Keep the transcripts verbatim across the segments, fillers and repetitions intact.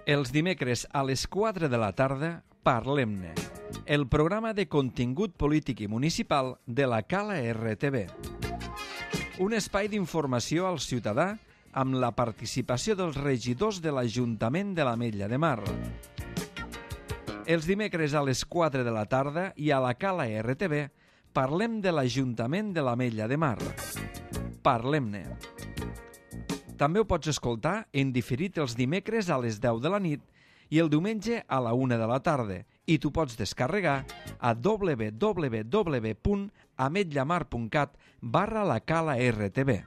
Els dimecres a les quatre de la tarda, Parlem-ne, el programa de contingut polític i municipal de la Cala R T V. Un espai d'informació al ciutadà amb la participació dels regidors de l'Ajuntament de l'Ametlla de Mar. Els dimecres a les quatre de la tarda i a la Cala R T V parlem de l'Ajuntament de l'Ametlla de Mar. Parlem-ne. També ho pots escoltar en diferit els dimecres a les deu de la nit i el diumenge a la una de la tarda, i tu pots descarregar a w w w punt ametllamar punt cat barra la Cala R T V.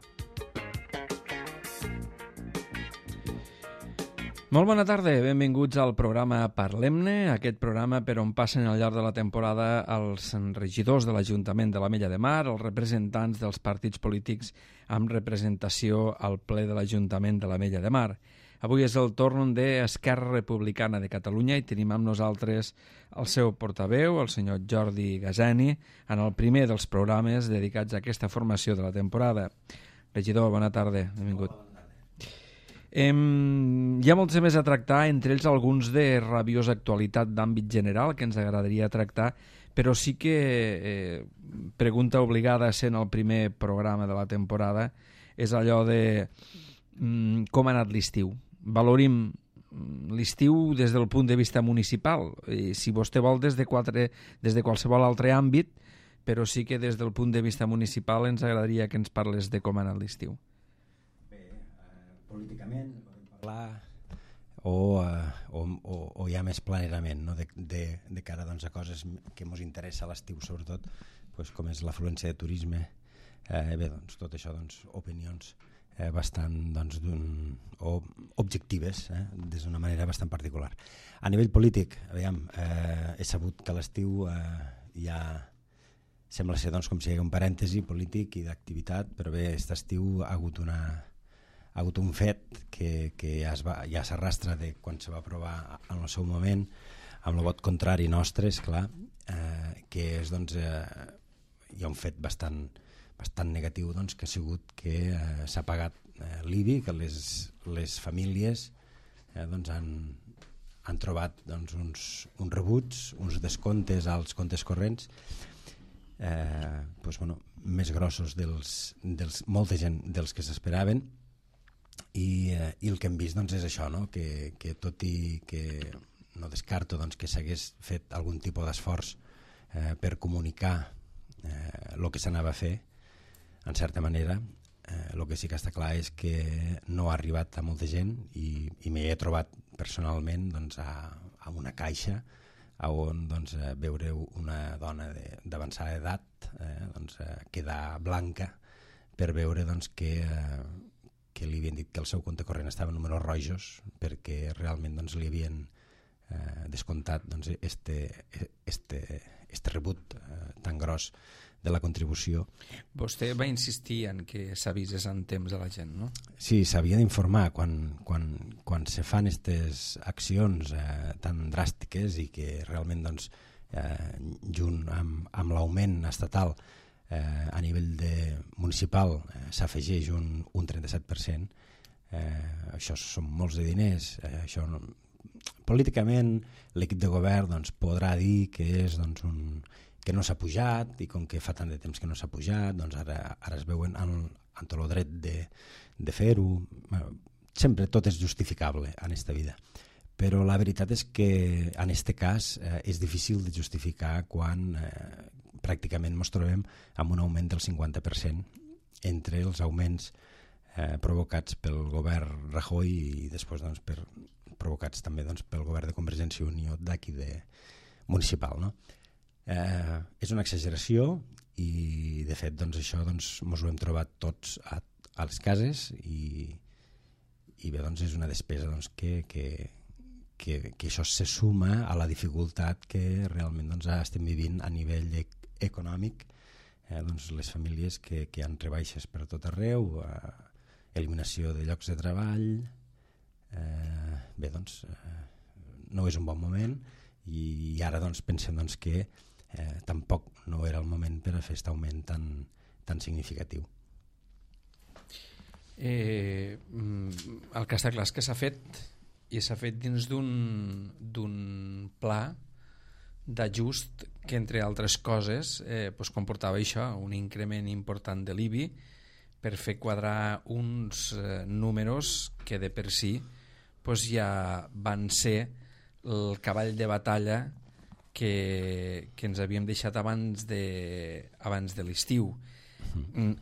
Molt bona tarda, benvinguts al programa Parlem-ne, aquest programa per on passen al llarg de la temporada els regidors de l'Ajuntament de l'Ametlla de Mar, els representants dels partits polítics amb representació al ple de l'Ajuntament de l'Ametlla de Mar. Avui és el torn d'Esquerra Republicana de Catalunya i tenim amb nosaltres el seu portaveu, el senyor Jordi Gazani, en el primer dels programes dedicats a aquesta formació de la temporada. Regidor, bona tarda, benvingut. Eh, hi ha molts temes a tractar, entre ells alguns de rabiosa actualitat d'àmbit general que ens agradaria tractar, però sí que eh, pregunta obligada sent el primer programa de la temporada és allò de mm, com ha anat l'estiu. Valorim l'estiu des del punt de vista municipal, i si vostè vol des de, quatre, des de qualsevol altre àmbit, però sí que des del punt de vista municipal ens agradaria que ens parles de com ha anat l'estiu. Políticament podem parlar o, uh, o, o, o ja més planerament, no? de, de, de cara doncs, a coses que ens interessa a l'estiu sobretot, doncs, com és l'afluència de turisme. Eh, bé, doncs, tot això, doncs, opinions eh, bastant doncs, o objectives, eh, des d'una manera bastant particular. A nivell polític, aviam, eh, he sabut que a l'estiu eh, ja sembla ser doncs, com si hi hagués un parèntesi polític i d'activitat, però bé, aquest estiu ha hagut una ha hagut un fet que, que ja, es va, ja s'arrastra de quan se va aprovar en el seu moment, amb el vot contrari nostre, esclar, eh, que és, doncs, eh, hi ha un fet bastant, bastant negatiu, doncs, que ha sigut que eh, s'ha pagat eh, l'I B I, que les, les famílies eh, doncs han, han trobat doncs, uns, uns rebuts, uns descomptes als comptes corrents, eh, doncs, bueno, més grossos dels, dels, molta gent dels que s'esperaven. I, eh, i el que hem vist doncs, és això, no? que, que tot i que no descarto doncs, que s'hagués fet algun tipus d'esforç eh, per comunicar el eh, que s'anava a fer, en certa manera, el eh, que sí que està clar és que no ha arribat a molta gent i, i m'hi he trobat personalment doncs, a, a una caixa on doncs, veure una dona d'avançada edat eh, doncs, quedar blanca per veure doncs, que eh, que li havien dit que el seu compte corrent estava en números rojos perquè realment doncs, li havien eh, descomptat doncs, este, este, este rebut eh, tan gros de la contribució. Vostè va insistir en que s'avisés en temps a la gent, no? Sí, s'havia d'informar quan, quan, quan se fan aquestes accions eh, tan dràstiques i que realment doncs, eh, junt amb, amb l'augment estatal Eh, a nivell de municipal eh, s'afegeix un, un trenta-set per cent, eh, això són molts de diners, eh, això no, políticament l'equip de govern doncs, podrà dir que, és, doncs, un, que no s'ha pujat i com que fa tant de temps que no s'ha pujat doncs ara, ara es veuen en, en tot el dret de, de fer-ho. Bueno, sempre tot és justificable en aquesta vida, però la veritat és que en aquest cas eh, és difícil de justificar quan eh, pràcticament ens trobem amb un augment del cinquanta per cent entre els augments eh, provocats pel govern Rajoy i després doncs, per, provocats també doncs, pel govern de Convergència i Unió d'aquí de municipal. No? Eh, és una exageració i de fet doncs, això doncs, ens ho hem trobat tots a, a les cases i, i bé, doncs, és una despesa doncs, que, que, que, que això se suma a la dificultat que realment doncs, estem vivint a nivell de econòmic, eh, doncs les famílies que, que han rebaixes per tot arreu, eh, eliminació de llocs de treball, eh, bé doncs eh, no és un bon moment i, i ara doncs pensem doncs, que eh, tampoc no era el moment per a fer aquest augment tan, tan significatiu. Eh, el que està clar és que s'ha fet i s'ha fet dins d'un d'un pla d'ajust que, entre altres coses, eh, pues comportava això, un increment important de l'I B I per fer quadrar uns eh, números que de per si pues, ja van ser el cavall de batalla que, que ens havíem deixat abans de, abans de l'estiu.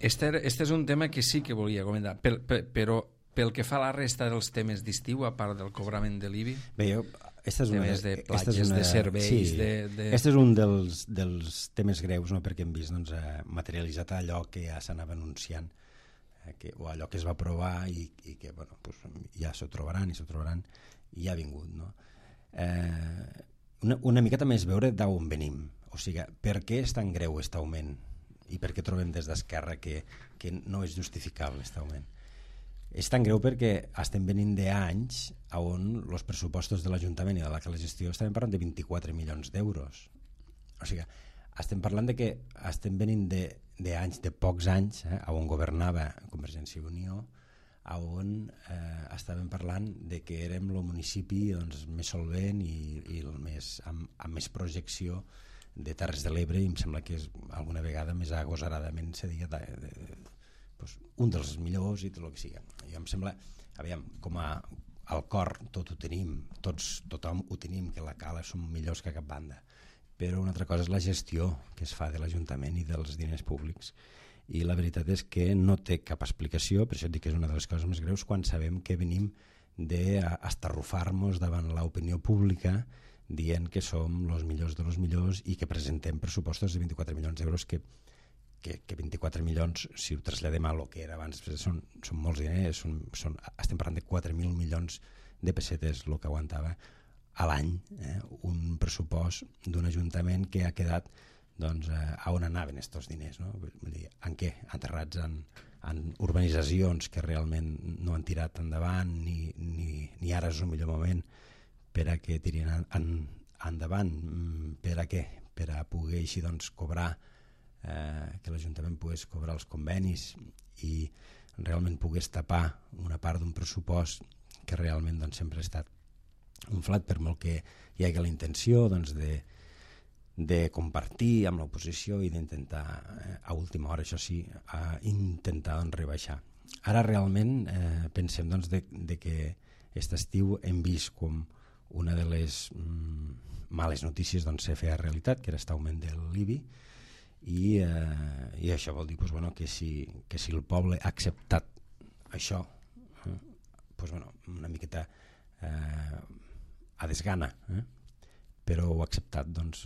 Este, este és un tema que sí que volia comentar, per, per, però pel que fa a la resta dels temes d'estiu, a part del cobrament de l'I B I, bé, jo, esta és una, temes de platges, és una, de serveis... Sí, de, de... Este és un dels, dels temes greus, no? Perquè hem vist doncs, eh, materialitzat allò que ja s'anava anunciant, eh, que, o allò que es va aprovar i, i que bueno, pues, ja s'ho trobaran i s'ho trobaran i ja ha vingut. No? Eh, una, una miqueta més veure d'on venim, o sigui, per què és tan greu aquest augment i per què trobem des d'Esquerra que, que no és justificable aquest augment. És tan greu perquè estem venint d'anys on els pressupostos de l'Ajuntament i de la gestió estem parlant de vint-i-quatre milions d'euros. O sigui, estem parlant de que estem venint d'anys, de, de pocs anys, eh, on governava Convergència i Unió, on eh, estàvem parlant de que érem el municipi doncs, més solvent i, i el més, amb, amb més projecció de Terres de l'Ebre, i em sembla que és alguna vegada més agosaradament se diga de, de, de, pues, un dels millors i tot el que sigui. Jo em sembla, aviam, com a, al cor tot ho tenim, tots, tothom ho tenim, que la cala som millors que cap banda, però una altra cosa és la gestió que es fa de l'Ajuntament i dels diners públics, i la veritat és que no té cap explicació. Per això et dic que és una de les coses més greus quan sabem que venim d'estarrufar-nos davant l'opinió pública dient que som els millors dels millors i que presentem pressupostos de vint-i-quatre milions d'euros que Que, que vint-i-quatre milions, si ho traslladem a lo que era abans, són, són molts diners, són, són, estem parlant de quatre mil milions de pessetes el que aguantava a l'any, eh, un pressupost d'un ajuntament que ha quedat doncs, eh, a on anaven aquests diners, no? Vull dir, en què? Aterrats en, en urbanitzacions que realment no han tirat endavant ni, ni, ni ara és el millor moment per a que tirin en, en, endavant. Per a què? Per a poder així doncs, cobrar Eh, que l'Ajuntament pogués cobrar els convenis i realment pogués tapar una part d'un pressupost que realment doncs, sempre ha estat inflat, per molt que hi hagi la intenció doncs, de, de compartir amb l'oposició i d'intentar, eh, a última hora, això sí, a intentar doncs, rebaixar. Ara realment eh, pensem doncs, de, de que aquest estiu hem vist com una de les mm, males notícies doncs, se feia realitat, que era aquest augment de l'I B I, I, eh, i això vol dir pues, bueno, que, si, que si el poble ha acceptat això, eh, pues, bueno, una miqueta eh, a desgana, eh, però ho ha acceptat doncs,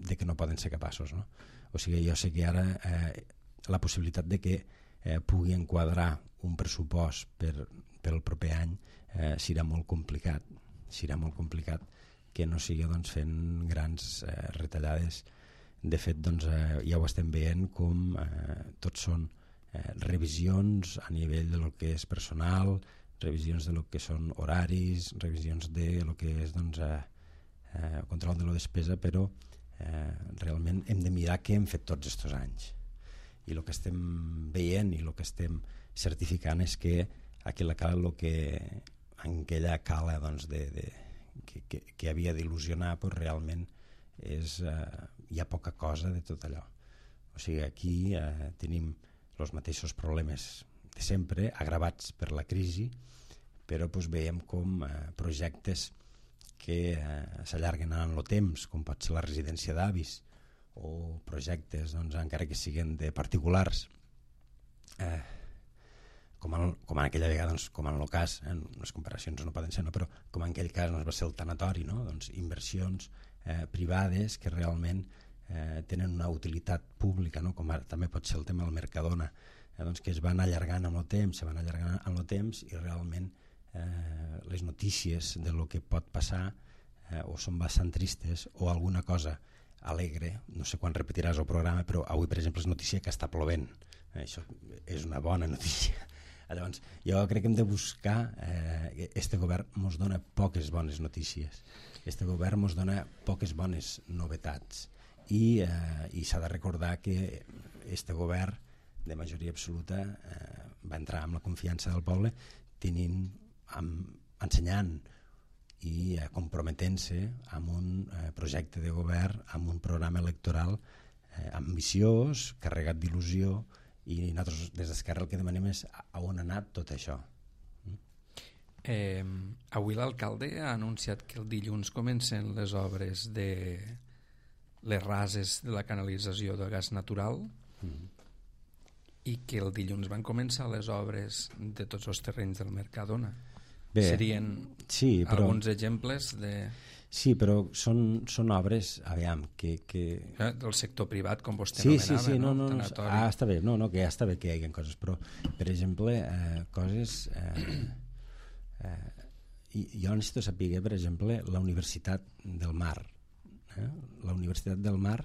de que no poden ser capaços. No? O sigui, jo sé que ara eh, la possibilitat de que eh, pugui enquadrar un pressupost per, per el proper any eh, serà molt complicat, serà molt complicat que no sigui doncs, fent grans eh, retallades. De fet, doncs, eh, ja ho estem veient com eh, tots són eh, revisions a nivell de lo que és personal, revisions de lo que són horaris, revisions de lo que és doncs, eh, eh, control de la despesa, però eh, realment hem de mirar què hem fet tots aquests anys. I el que estem veient i el que estem certificant és que aquella cala, lo que, en aquella cala doncs, de, de, que, que, que havia d'il·lusionar, pues, realment és, eh, hi ha poca cosa de tot allò. O sigui, aquí eh, tenim els mateixos problemes de sempre, agravats per la crisi, però doncs, veiem com eh, projectes que eh, s'allarguen en el temps, com pot ser la residència d'avis, o projectes, doncs, encara que siguin de particulars, eh, com, en, com en aquella vegada, doncs, com en el cas, eh, les comparacions no poden ser, no? Però com en aquell cas doncs, va ser el tanatori, no? Doncs, inversions eh, privades que realment eh, tenen una utilitat pública, no? Com ara, també pot ser el tema del Mercadona, eh, doncs, que es van allargant amb el temps, se van allargant amb el temps i realment eh, les notícies de lo que pot passar eh, o són bastant tristes o alguna cosa alegre, no sé quan repetiràs el programa, però avui per exemple és notícia que està plovent, eh, això és una bona notícia. Llavors, jo crec que hem de buscar, eh, este govern ens dona poques bones notícies, este govern ens dona poques bones novetats i, eh, i s'ha de recordar que este govern de majoria absoluta eh, va entrar amb la confiança del poble tenint, amb, ensenyant i eh, comprometent-se amb un eh, projecte de govern, amb un programa electoral eh, ambiciós, carregat d'il·lusió, i nosaltres des d'Esquerra el que demanem és a on ha anat tot això. Eh, avui l'alcalde ha anunciat que el dilluns comencen les obres de les rases de la canalització de gas natural mm. i que el dilluns van començar les obres de tots els terrenys del Mercadona. Bé, serien sí, però, alguns exemples de... Sí, però són, són obres, aviam, que... que... Eh, del sector privat, com vostè sí, nomenava, sí, sí, no? no, no, no ah, està bé, no, no, que ja està bé que hi hagi coses, però, per exemple, eh, coses... Eh, eh, jo necessito saber, per exemple, la Universitat del Mar. Eh? La Universitat del Mar,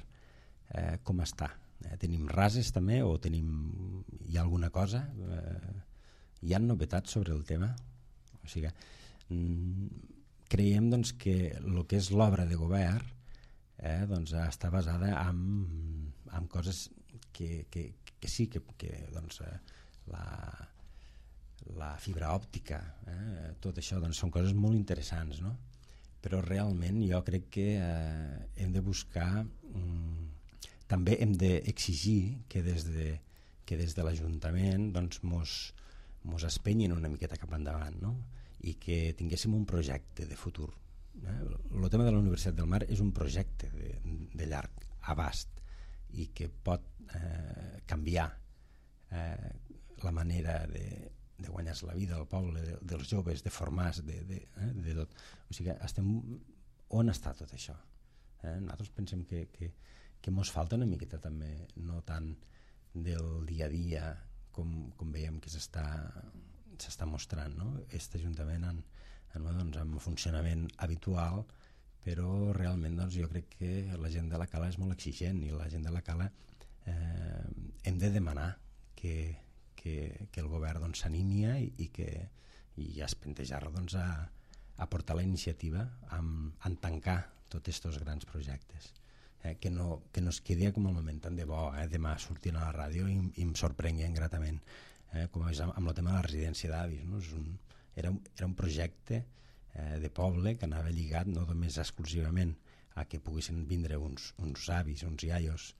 eh, com està? Eh, tenim rases també, o tenim... hi ha alguna cosa? Eh, hi ha novetats sobre el tema? O sigui, mm, creiem doncs, que el que és l'obra de govern eh, doncs, està basada en, en coses que, que, que sí, que, que doncs, la, la fibra òptica, eh, tot això doncs, són coses molt interessants, no? Però realment jo crec que eh, hem de buscar, mm, també hem d'exigir que des de, que des de l'Ajuntament doncs, mos, mos espenyin una miqueta cap endavant, no? I que tinguéssim un projecte de futur. Eh? El tema de la Universitat del Mar és un projecte de, de llarg abast i que pot eh, canviar eh, la manera de, de guanyar-se la vida al poble, de, dels joves, de formar-se, de, de, eh, de tot. O sigui, estem... on està tot això? Eh? Nosaltres pensem que, que, que mos falta una miqueta també, no tant del dia a dia com, com veiem que s'està s'està mostrant, no? Aquest Ajuntament en, en, doncs, en funcionament habitual, però realment doncs, jo crec que la gent de la Cala és molt exigent i la gent de la Cala eh, hem de demanar que, que, que el govern doncs, s'animi i, i que i es plantejar doncs, a, a portar la iniciativa en, en tancar tots aquests grans projectes. Eh, que, no, que no es quedi com el moment tan de bo, eh, demà sortint a la ràdio i, i em sorprenguen gratament. Eh, com és amb, amb el tema de la residència d'avis, no? És un, era, un, era un projecte eh, de poble que anava lligat no només exclusivament a que poguessin vindre uns, uns avis, uns iaios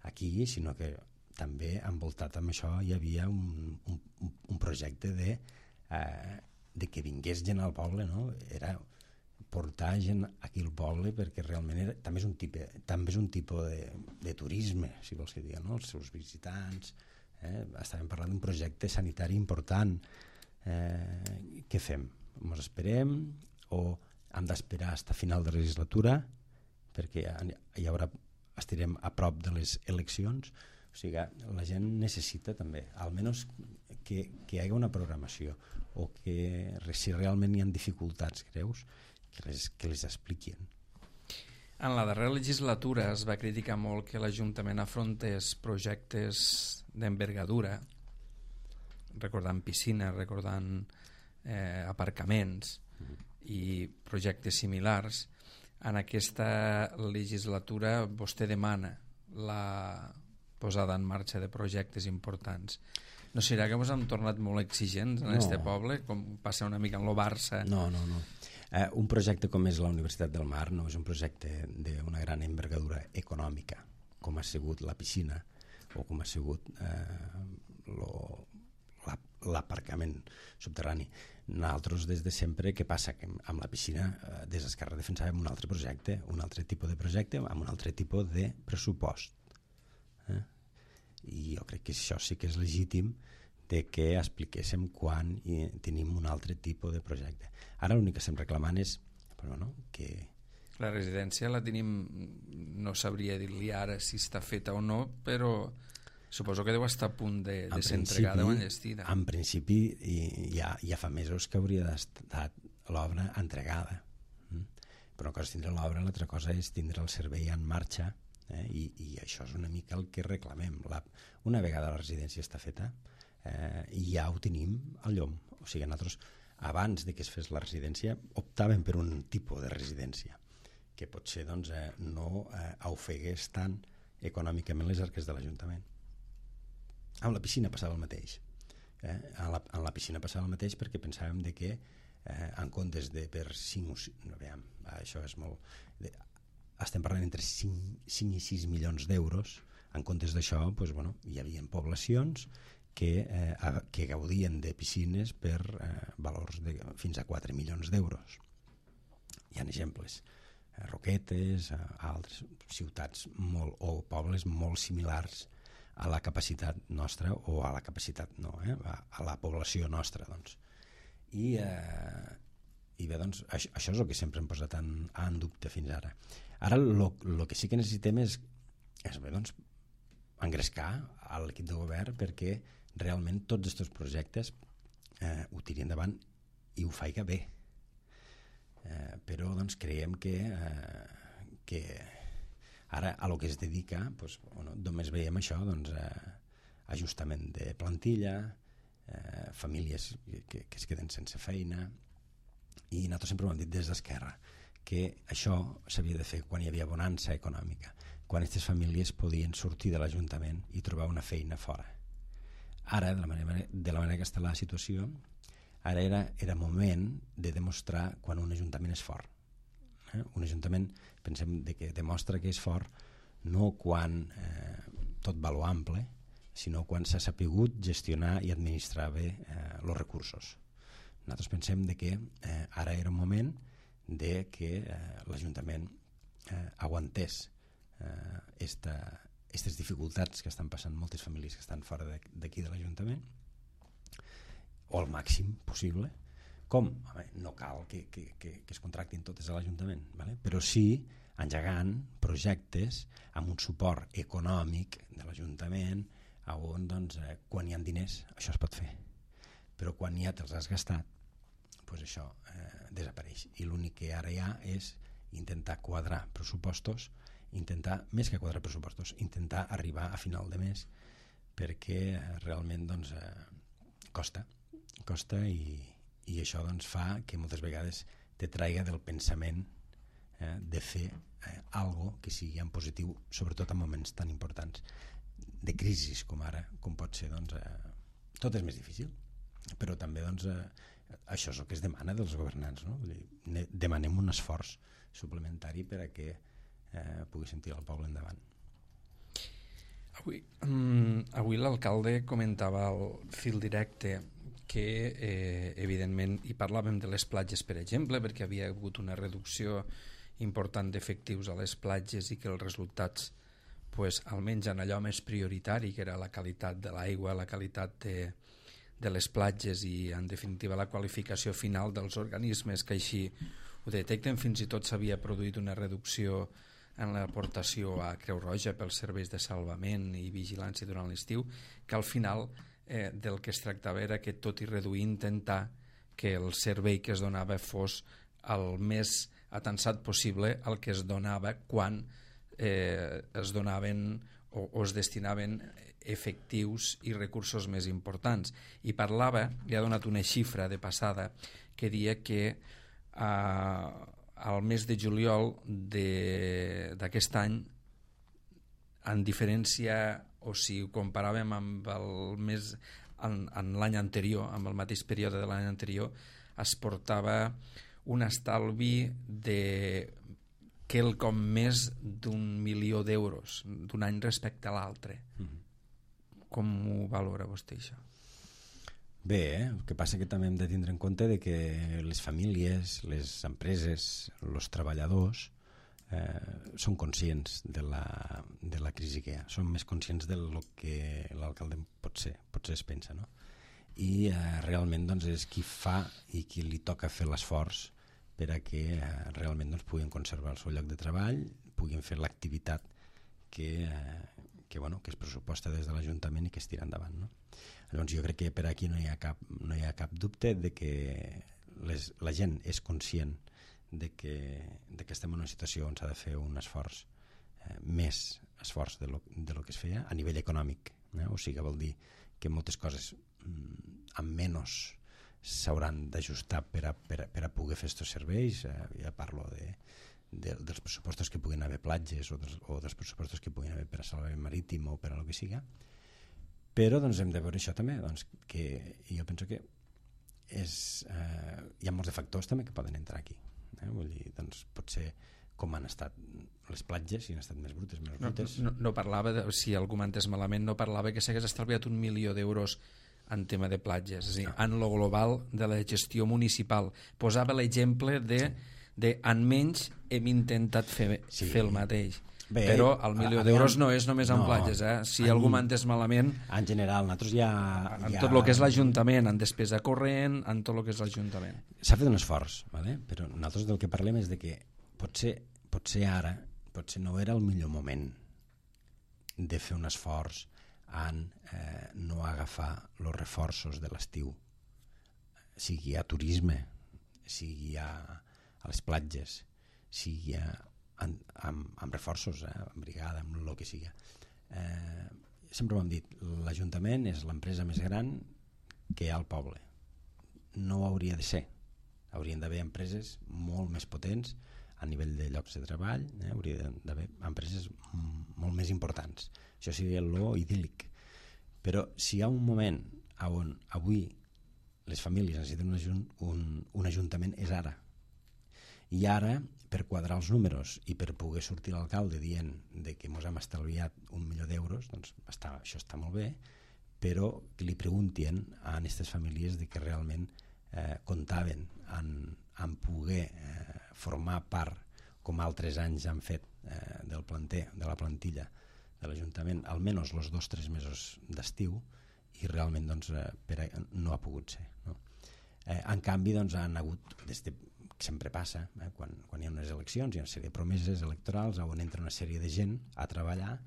aquí, sinó que també envoltat amb això hi havia un, un, un projecte de, eh, de que vingués gent al poble, no? Era portar gent aquí al poble perquè realment era, també és un tipus, també és un tipus de, de turisme, si vols que digui, no? Els seus visitants. Eh, estàvem parlant d'un projecte sanitari important. Eh, què fem? Ens esperem o hem d'esperar fins a final de legislatura perquè hi haurà, estarem a prop de les eleccions? O sigui, la gent necessita també almenys que, que hi hagi una programació o que si realment hi ha dificultats greus que les, que les expliquin. En la darrera legislatura es va criticar molt que l'Ajuntament afrontés projectes d'envergadura, recordant piscines, recordant eh, aparcaments mm-hmm. i projectes similars. En aquesta legislatura vostè demana la posada en marxa de projectes importants. No serà que ens hem tornat molt exigents en aquest no. poble, com passa una mica en el Barça? No, no, no. Eh, un projecte com és la Universitat del Mar no és un projecte d'una gran envergadura econòmica, com ha sigut la piscina o com ha sigut eh, l'aparcament subterrani. Nosaltres des de sempre, què passa? Que amb la piscina eh, des d'Esquerra defensàvem un altre projecte, un altre tipus de projecte amb un altre tipus de pressupost. Eh? I jo crec que això sí que és legítim de que expliquéssim quan i tenim un altre tipus de projecte. Ara l'únic que estem reclamant és però, no, que... La residència la tenim, no sabria dir-li ara si està feta o no, però suposo que deu estar a punt de, de ser entregada o enllestida. En principi ja, ja fa mesos que hauria d'estar l'obra entregada. Però una cosa és tindre l'obra, l'altra cosa és tindre el servei en marxa, eh? I, i això és una mica el que reclamem. La, una vegada la residència està feta, eh, ja ho tenim al llom. O sigui, nosaltres, abans de que es fes la residència, optàvem per un tipus de residència que potser doncs, eh, no eh, ofegués tant econòmicament les arques de l'Ajuntament. Amb la piscina passava el mateix. Eh? A, la, a la piscina passava el mateix perquè pensàvem de que eh, en comptes de per cinc, no, veiem, això és molt... De, estem parlant entre cinc, cinc i sis milions d'euros. En comptes d'això, doncs, bueno, hi havia poblacions que, eh, que gaudien de piscines per eh, valors de fins a quatre milions d'euros. Hi ha exemples. Roquetes, altres ciutats molt, o pobles molt similars a la capacitat nostra, o a la capacitat no, eh? a, a la població nostra, doncs. I, eh, i bé, doncs, això, això és el que sempre hem posat en, en dubte fins ara. Ara el que sí que necessitem és, és bé, doncs, engrescar a l'equip de govern perquè realment tots aquests projectes eh, ho tiri endavant i ho faiga bé. Eh, però doncs creiem que, eh, que ara a lo que es dedica doncs, bueno, només veiem això, doncs, eh, ajustament de plantilla, eh, famílies que, que es queden sense feina, i nosaltres sempre ho hem dit des d'Esquerra que això s'havia de fer quan hi havia bonança econòmica, quan aquestes famílies podien sortir de l'Ajuntament i trobar una feina fora. Ara, de la manera, de la manera que està la situació, ara era, era moment de demostrar quan un ajuntament és fort. Eh? Un ajuntament, pensem de que demostra que és fort no quan eh, tot va lo ample, sinó quan s'ha sapigut gestionar i administrar bé els eh, recursos. Nosaltres pensem de que eh, ara era un moment de que eh, l'Ajuntament eh, aguantés aquestes eh, dificultats que estan passant moltes famílies que estan fora d'aquí de l'Ajuntament, o al màxim possible. Com? Home, no cal que, que, que, que es contractin totes a l'Ajuntament, ¿vale? Però sí engegant projectes amb un suport econòmic de l'Ajuntament on, doncs, eh, quan hi ha diners això es pot fer, però quan ja te'ls has gastat doncs això eh, desapareix, i l'únic que ara hi ha és intentar quadrar pressupostos, intentar, més que quadrar pressupostos, intentar arribar a final de mes, perquè eh, realment doncs, eh, costa costa i, i això doncs, fa que moltes vegades te traiga del pensament eh, de fer eh, algo que sigui en positiu, sobretot en moments tan importants de crisis com ara, com pot ser, doncs, eh, tot és més difícil, però també doncs, eh, això és el que es demana dels governants, no? Vull dir, demanem un esforç suplementari per a que eh, pugui sentir el poble endavant. Avui, um, avui l'alcalde comentava al fil directe que eh, evidentment hi parlàvem de les platges, per exemple, perquè havia hagut una reducció important d'efectius a les platges i que els resultats, pues, almenys en allò més prioritari, que era la qualitat de l'aigua, la qualitat de, de les platges i en definitiva la qualificació final dels organismes que així ho detecten. Fins i tot s'havia produït una reducció en l'aportació a Creu Roja pels serveis de salvament i vigilància durant l'estiu, que al final eh, del que es tractava era que tot i reduir intentar que el servei que es donava fos el més atansat possible al que es donava quan eh, es donaven o, o es destinaven efectius i recursos més importants. I parlava, li ha donat una xifra de passada que dia que eh, al mes de juliol d'aquest any, en diferència, o si ho comparàvem amb el mes en, en l'any anterior, amb el mateix període de l'any anterior, es portava un estalvi de quelcom més d'un milió d'euros d'un any respecte a l'altre. Mm-hmm. Com ho valora vostè, això? Bé, eh? El que passa que també hem de tindre en compte de que les famílies, les empreses, els treballadors eh, són conscients de la, de la crisi que hi ha, són més conscients del que l'alcalde potser, potser es pensa, no? I eh, realment doncs, és qui fa i qui li toca fer l'esforç per a que eh, realment doncs, puguin conservar el seu lloc de treball, puguin fer l'activitat que, eh, que, bueno, que es pressuposta des de l'Ajuntament i que es tira endavant, no? Llavors jo crec que per aquí no hi ha cap, no hi ha cap dubte de que les, la gent és conscient de que, de que estem en una situació on s'ha de fer un esforç, eh, més esforç de lo, de lo que es feia a nivell econòmic, eh? O sigui, vol dir que moltes coses mm, amb menys s'hauran d'ajustar per a, per, a, per a poder fer aquests serveis. Eh, ja parlo de, de, dels pressupostos que puguin haver platges o dels, o dels pressupostos que puguin haver per a salvament marítim o per a lo que siga. Però doncs, hem de veure això també, doncs, que jo penso que és, eh, hi ha molts de factors també que poden entrar aquí. Eh? Vull dir, doncs, potser com han estat les platges, si han estat més brutes, més brutes. No, no, no parlava, de, si algú m'entès malament, no parlava que s'hagués estalviat un milió d'euros en tema de platges, és a dir, no. en lo global de la gestió municipal. Posava l'exemple de, de en menys hem intentat fer, sí. fer el mateix. Bé, però el milió d'euros no és només en no, platges, eh? Si en, algú m'ha entès malament... En general, nosaltres ja... En ja... tot el que és l'Ajuntament, en despesa corrent, en tot el que és l'Ajuntament. S'ha fet un esforç, ¿vale? Però nosaltres del que parlem és de que potser, potser ara, potser no era el millor moment de fer un esforç en eh, no agafar els reforços de l'estiu, sigui a turisme, sigui a, a les platges, sigui a... Amb, amb, amb reforços, eh, amb brigada, amb el que sigui. Eh, sempre ho hem dit, l'Ajuntament és l'empresa més gran que hi ha al poble. No ho hauria de ser. Haurien d'haver empreses molt més potents a nivell de llocs de treball, eh, hauria d'haver empreses molt més importants. Això seria lo idíl·lic. Però si hi ha un moment on avui les famílies necessiten un, ajunt, un, un ajuntament és ara. I ara, per quadrar els números i per poder sortir l'alcalde dient de que ens hem estalviat un milió d'euros, doncs està, això està molt bé, però que li preguntin a aquestes famílies de que realment eh, comptaven en, en poder eh, formar part, com altres anys han fet eh, del planter, de la plantilla de l'Ajuntament, almenys els dos o tres mesos d'estiu, i realment doncs, eh, per a, no ha pogut ser. No? Eh, en canvi, doncs, han hagut, des de sempre passa, eh? quan, quan hi ha unes eleccions, hi ha una sèrie de promeses electorals on entra una sèrie de gent a treballar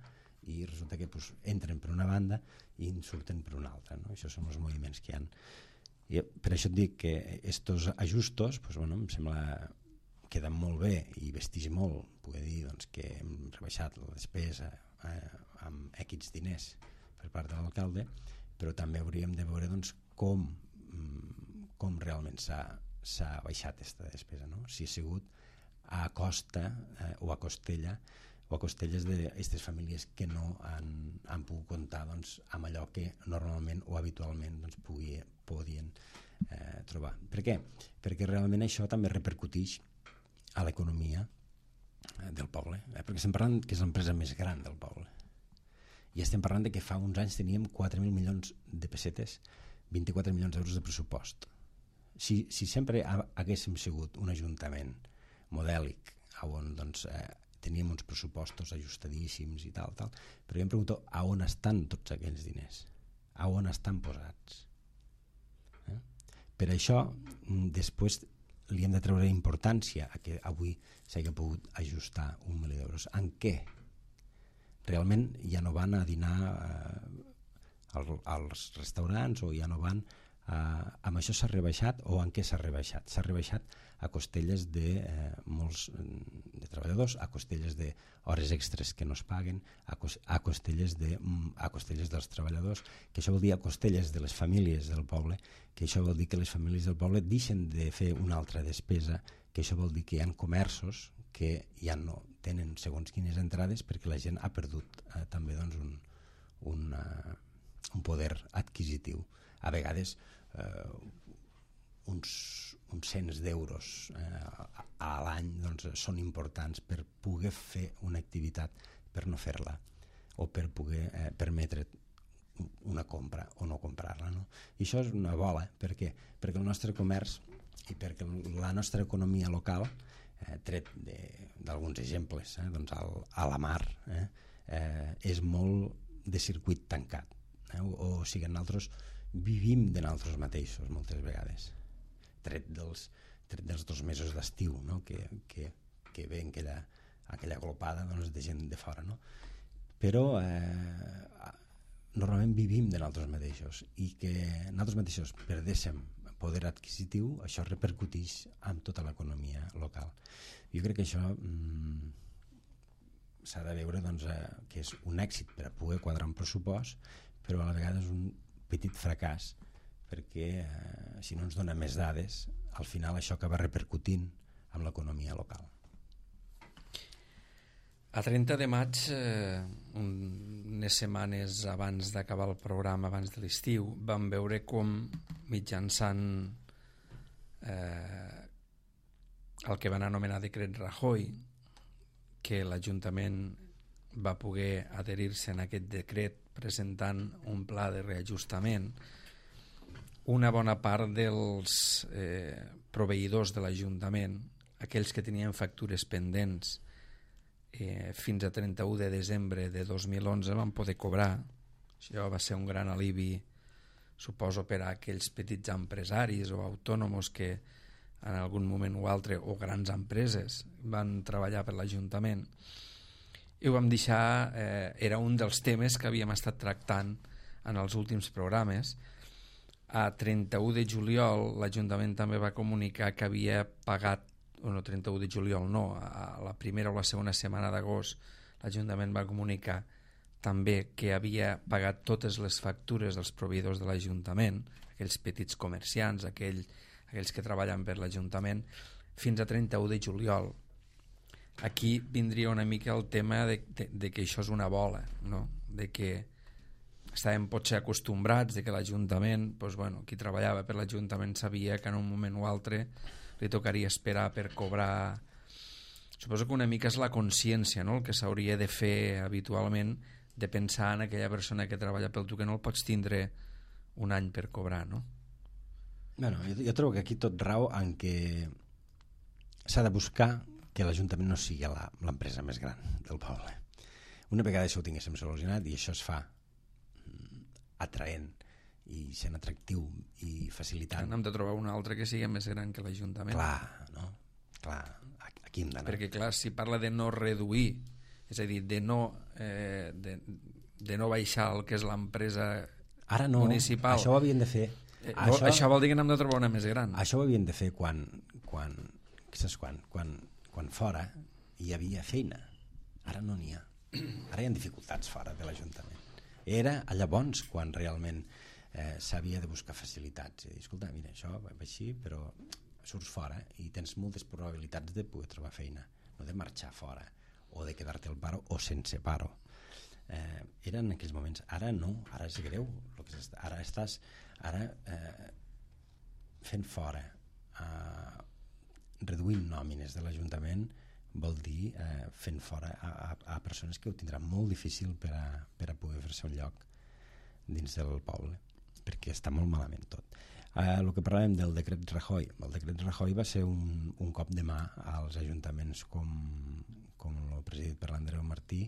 i resulta que pues, entren per una banda i en surten per una altra. No? Això són els moviments que hi ha. I per això et dic que estos ajustos pues, bueno, em sembla queden molt bé i vesteix molt, poder dir doncs, que hem rebaixat la despesa eh, amb X diners per part de l'alcalde, però també hauríem de veure doncs, com, com realment s'ha s'ha baixat aquesta despesa, no? Si ha sigut a costa eh, o a costella o a costelles d'aquestes famílies que no han, han pogut comptar doncs, amb allò que normalment o habitualment doncs, pugui, podien eh, trobar. Per què? Perquè realment això també repercuteix a l'economia eh, del poble, eh? Perquè estem parlant que és l'empresa més gran del poble i estem parlant de que fa uns anys teníem quatre mil milions de pessetes, vint-i-quatre milions d'euros de pressupost. Si, si sempre haguéssim sigut un ajuntament modèlic on doncs, eh, teníem uns pressupostos ajustadíssims i tal, tal, però jo em pregunto a on estan tots aquells diners, a on estan posats. Eh? Per això després li hem de treure importància a que avui s'hagi pogut ajustar un milió d'euros. En què? Realment ja no van a dinar eh, als restaurants o ja no van Uh, amb això s'ha rebaixat o en què s'ha rebaixat? S'ha rebaixat a costelles de eh, molts de treballadors, a costelles d'hores extres que no es paguen, a, cos a, costelles de, a costelles dels treballadors, que això vol dir a costelles de les famílies del poble, que això vol dir que les famílies del poble deixen de fer una altra despesa, que això vol dir que hi ha comerços que ja no tenen segons quines entrades perquè la gent ha perdut eh, també doncs, un, un, uh, un poder adquisitiu. A vegades eh, uns, uns cents d'euros eh, a, a l'any doncs, són importants per poder fer una activitat, per no fer-la, o per poder eh, permetre una compra o no comprar-la. No? I això és una bola, per què? Perquè el nostre comerç i perquè la nostra economia local, eh, tret d'alguns exemples, eh, doncs al, a la mar, eh, eh, és molt de circuit tancat. Eh, o, o sigui, nosaltres vivim de nosaltres mateixos moltes vegades, tret dels, tret dels dos mesos d'estiu, no? que, que, que ve aquella, aquella glopada doncs, de gent de fora. No? Però eh, normalment vivim de nosaltres mateixos i que nosaltres mateixos perdéssim poder adquisitiu, això repercuteix en tota l'economia local. Jo crec que això mm, s'ha de veure doncs, eh, que és un èxit per a poder quadrar un pressupost, però a la vegada és un petit fracàs perquè eh, si no ens dona més dades al final això acaba repercutint amb l'economia local. A trenta de maig, eh, unes setmanes abans d'acabar el programa, abans de l'estiu, vam veure com mitjançant eh, el que van anomenar decret Rajoy, que l'Ajuntament va poder adherir-se en aquest decret presentant un pla de reajustament, una bona part dels eh, proveïdors de l'Ajuntament, aquells que tenien factures pendents, Eh, fins a trenta-u de desembre de dos mil onze van poder cobrar. Això va ser un gran alivi, suposo, per a aquells petits empresaris o autònoms que en algun moment o altre, o grans empreses, van treballar per l'Ajuntament. I ho vam deixar, eh, era un dels temes que havíem estat tractant en els últims programes. A trenta-u de juliol l'Ajuntament també va comunicar que havia pagat, o no, trenta-u de juliol no, a la primera o la segona setmana d'agost l'Ajuntament va comunicar també que havia pagat totes les factures dels proveïdors de l'Ajuntament, aquells petits comerciants, aquell, aquells que treballen per l'Ajuntament, fins a trenta-u de juliol. Aquí vindria una mica el tema de, de, de que això és una bola, no? De que estàvem potser acostumbrats de que l'Ajuntament, doncs, bueno, qui treballava per l'Ajuntament sabia que en un moment o altre li tocaria esperar per cobrar. Suposo que una mica és la consciència, no? El que s'hauria de fer habitualment, de pensar en aquella persona que treballa pel tu, que no el pots tindre un any per cobrar, no? Bueno, jo, jo trobo que aquí tot rau en què s'ha de buscar que l'Ajuntament no sigui l'empresa més gran del poble. Una vegada això ho tinguéssim solucionat, i això es fa atraent i sent atractiu i facilitant. Hem de trobar un altre que sigui més gran que l'Ajuntament. Clar, no? Clar, aquí hem d'anar. Perquè, clar, si parla de no reduir, és a dir, de no, eh, de, de no baixar el que és l'empresa Ara no, municipal... això ho havien de fer... Eh, això, això vol dir que n'hem de trobar una més gran. Això ho havien de fer quan, quan, saps quan? Quan, quan fora hi havia feina. Ara no n'hi ha. Ara hi ha dificultats fora de l'Ajuntament. Era llavors quan realment eh, s'havia de buscar facilitats. I dir, escolta, mira, això va així, però surts fora i tens moltes probabilitats de poder trobar feina, no de marxar fora o de quedar-te al paro o sense paro. Eh, eren en aquells moments. Ara no, ara és greu. Lo que és, ara estàs ara eh, fent fora, eh, reduint nòmines de l'Ajuntament, vol dir eh, fent fora a, a, a persones que ho tindran molt difícil per a, per a poder fer-se un lloc dins del poble, perquè està molt malament tot. Eh, el que parlàvem del decret Rajoy, el decret Rajoy va ser un, un cop de mà als ajuntaments com, com el presidit per l'Andreu Martí,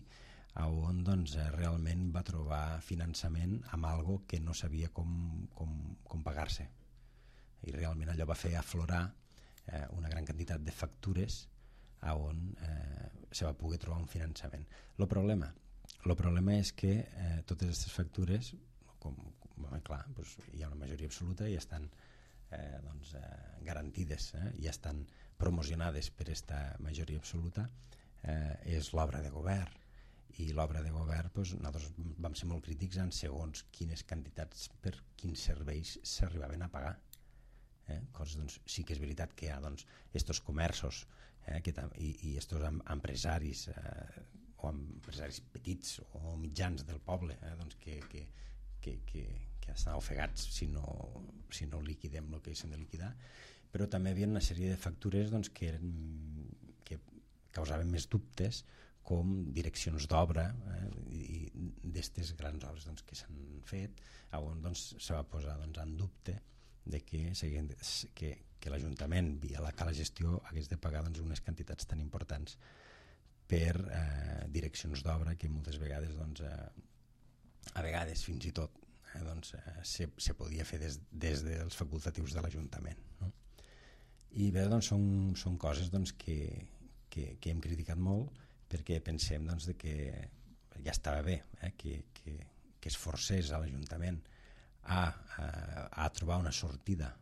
on doncs, realment va trobar finançament amb algo que no sabia com, com, com pagar-se, i realment allò va fer aflorar eh, una gran quantitat de factures on eh, se va poder trobar un finançament. El problema, el problema és que eh, totes aquestes factures, com, com clar, doncs hi ha una majoria absoluta i estan eh, doncs, eh, garantides, eh, i estan promocionades per aquesta majoria absoluta, eh, és l'obra de govern. I l'obra de govern, doncs, nosaltres vam ser molt crítics en segons quines quantitats per quins serveis s'arribaven a pagar. Eh? Coses, doncs, sí que és veritat que hi ha doncs, estos comerços eh, que i, i estos empresaris eh, o empresaris petits o mitjans del poble eh, doncs, que, que, que, que, que estan ofegats si no, si no liquidem el que s'han de liquidar, però també hi havia una sèrie de factures doncs, que, eren, que causaven més dubtes, com direccions d'obra eh, i d'aquestes grans obres doncs, que s'han fet, on doncs, se va posar doncs, en dubte de que, que, que l'Ajuntament via la cala gestió hagués de pagar doncs, unes quantitats tan importants per eh, direccions d'obra que moltes vegades doncs, eh, a vegades fins i tot eh, doncs, eh, se, se podia fer des, des dels facultatius de l'Ajuntament, no? I bé, doncs, són, són coses doncs, que, que, que hem criticat molt, perquè pensem doncs, de que ja estava bé eh, que, que, que es forcés a l'Ajuntament a, a, a trobar una sortida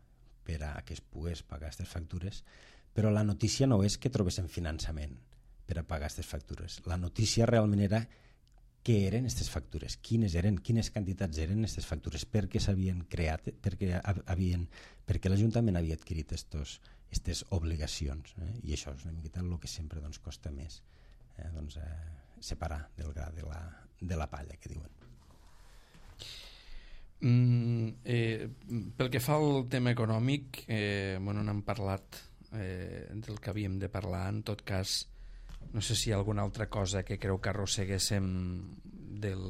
per a que es pogués pagar aquestes factures, però la notícia no és que trobessin finançament per a pagar aquestes factures. La notícia realment era què eren aquestes factures, quines eren, quines quantitats eren aquestes factures, per què s'havien creat, perquè, havien, perquè l'Ajuntament havia adquirit aquestes obligacions. Eh? I això és una miqueta el que sempre doncs, costa més eh, doncs, eh, separar del gra de la, de la palla, que diuen. Mm, eh, pel que fa al tema econòmic, eh, bueno, n'hem parlat eh, del que havíem de parlar. En tot cas, no sé si hi ha alguna altra cosa que creu que arrosseguéssim del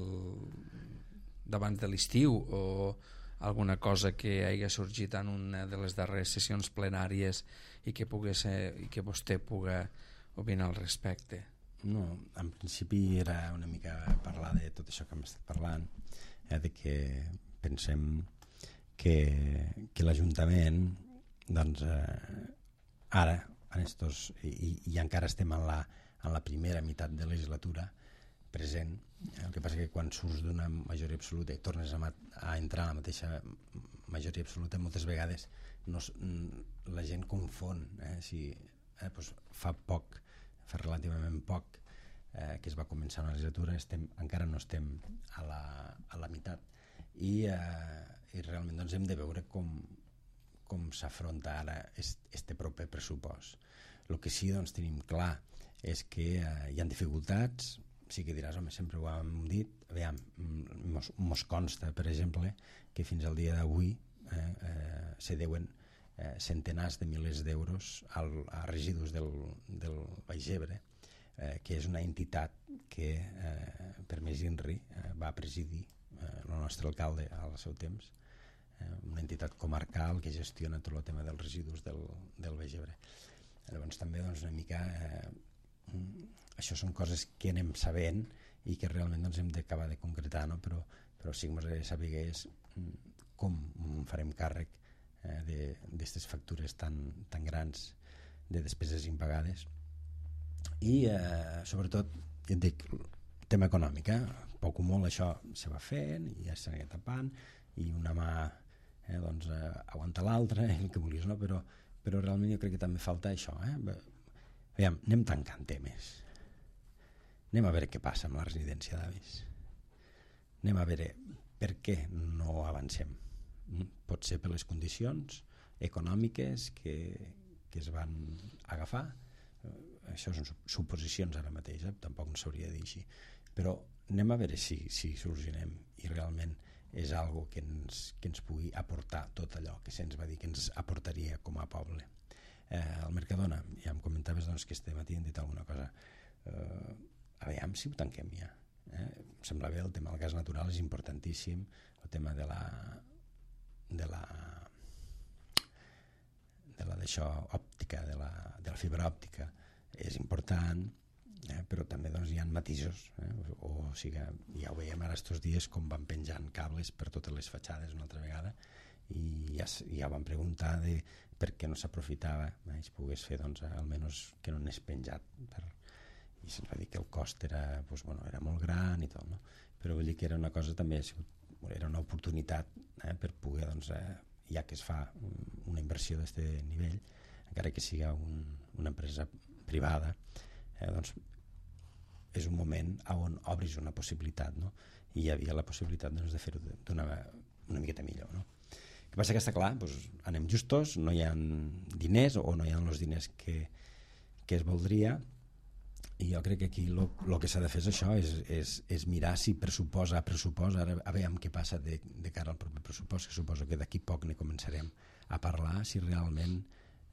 d'abans de l'estiu, o alguna cosa que hagi sorgit en una de les darreres sessions plenàries i que pogués, i que vostè pugui opinar al respecte. No, en principi era una mica parlar de tot això que hem estat parlant, eh, de que pensem que, que l'Ajuntament, doncs, eh, ara, en estos, i, i encara estem en la, en la primera meitat de legislatura present, el que passa que quan surts d'una majoria absoluta i tornes a, a entrar en la mateixa majoria absoluta, moltes vegades no, la gent confon, eh, si eh, doncs fa poc, fa relativament poc eh, que es va començar una legislatura, estem, encara no estem a la, a la meitat, i, eh, i realment doncs, hem de veure com, com s'afronta ara este proper pressupost. El que sí doncs, tenim clar és que eh, hi ha dificultats. Sí que diràs, home, sempre ho hem dit, aviam, mos, mos consta, per exemple, que fins al dia d'avui eh, eh, se deuen eh, centenars de milers d'euros al, a residus del, del Baix Ebre, eh, que és una entitat que, eh, per més INRI, eh, va presidir eh, el nostre alcalde al seu temps, eh, una entitat comarcal que gestiona tot el tema dels residus del, del Baix Ebre. Llavors també doncs, una mica eh, això són coses que anem sabent i que realment doncs, hem d'acabar de concretar, no? però, però sí que ens agradaria saber com farem càrrec eh, d'aquestes factures tan, tan grans de despeses impagades i eh, sobretot ja et dic, tema econòmic, eh? poc o molt això se va fent i ja s'anirà tapant i una mà eh, doncs, eh, aguanta l'altra, el que vulguis, no? però, però realment jo crec que també falta això, eh? Aviam, anem tancant temes, anem a veure què passa amb la residència d'avis, anem a veure per què no avancem. Pot ser per les condicions econòmiques que, que es van agafar, això són suposicions ara mateix, eh? tampoc no s'hauria de dir així, però anem a veure si, si solucionem i realment és algo que ens, que ens pugui aportar tot allò que se'ns va dir que ens aportaria com a poble. Eh, al Mercadona, ja em comentaves doncs, que este matí hem dit alguna cosa, eh, aviam si ho tanquem ja. Eh? Em sembla bé, el tema del gas natural és importantíssim, el tema de la de la de la d'això òptica, de la, de la fibra òptica és important, eh? però també doncs, hi ha matisos, eh? o, o sigui, ja ho veiem ara estos dies com van penjant cables per totes les fatxades una altra vegada i ja, ja van preguntar de per què no s'aprofitava, eh? es pogués fer doncs, almenys que no n'és penjat per... i se'ns va dir que el cost era, doncs, bueno, era molt gran i tot, no? Però vull dir que era una cosa també, era una oportunitat eh, per poder, doncs, eh, ja que es fa una inversió d'aquest nivell, encara que sigui un, una empresa privada, eh, doncs és un moment on obris una possibilitat, no? I hi havia la possibilitat doncs, de fer-ho d'una una miqueta millor, no? El que passa que està clar, doncs, anem justos, no hi ha diners o no hi ha els diners que, que es voldria, i jo crec que aquí el que s'ha de fer és això, és, és, és mirar si pressuposa a pressuposa, ara a veure què passa de, de cara al propi pressupost, que suposo que d'aquí poc ne començarem a parlar, si realment